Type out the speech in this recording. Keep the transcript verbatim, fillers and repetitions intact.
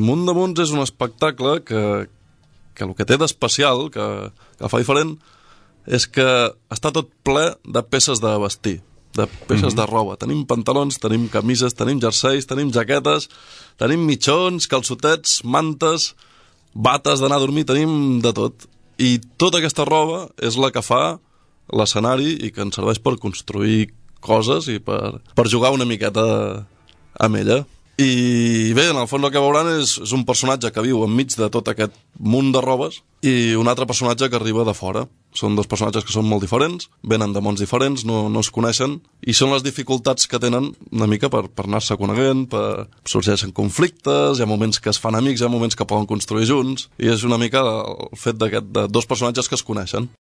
Munt de Munts és un espectacle que, que el que té d'especial, que, que el fa diferent, és que està tot ple de peces de vestir, de peces mm-hmm. de roba. Tenim pantalons, tenim camises, tenim jerseis, tenim jaquetes, tenim mitjons, calçotets, mantes, bates d'anar a dormir, tenim de tot. I tota aquesta roba és la que fa l'escenari i que ens serveix per construir coses i per, per jugar una miqueta amb ella. I bé, en el fons el que veuran és, és un personatge que viu enmig de tot aquest munt de robes i un altre personatge que arriba de fora. Són dos personatges que són molt diferents, venen de mons diferents, no, no es coneixen, i són les dificultats que tenen una mica per, per anar-se coneguent, per sorgeixen conflictes, hi ha moments que es fan amics, hi ha moments que poden construir junts, i és una mica el fet d'aquest, de dos personatges que es coneixen.